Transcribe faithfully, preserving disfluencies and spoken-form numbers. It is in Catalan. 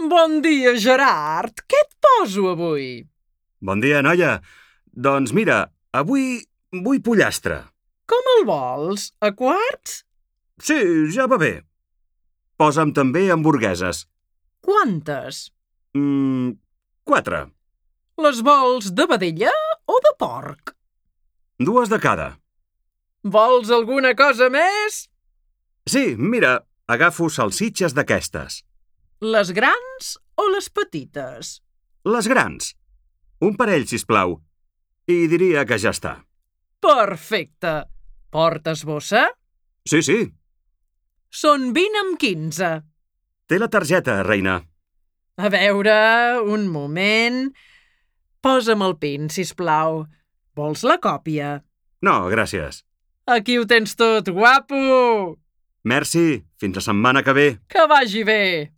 Bon dia, Gerard. Què et poso avui? Bon dia, noia. Doncs mira, avui vull pollastre. Com el vols? A quarts? Sí, ja va bé. Posa'm també hamburgueses. Quantes? Mm, quatre. Les vols de vedella o de porc? Dues de cada. Vols alguna cosa més? Sí, mira, agafo salsitxes d'aquestes. Les grans o les petites? Les grans. Un parell, sisplau. I diria que ja està. Perfecte. Portes bossa? Sí, sí. Són vint amb quinze. Té la targeta, reina. A veure, un moment. Posa'm el pin, sisplau. Vols la còpia? No, gràcies. Aquí ho tens tot, guapo! Merci. Fins la setmana que ve. Que vagi bé!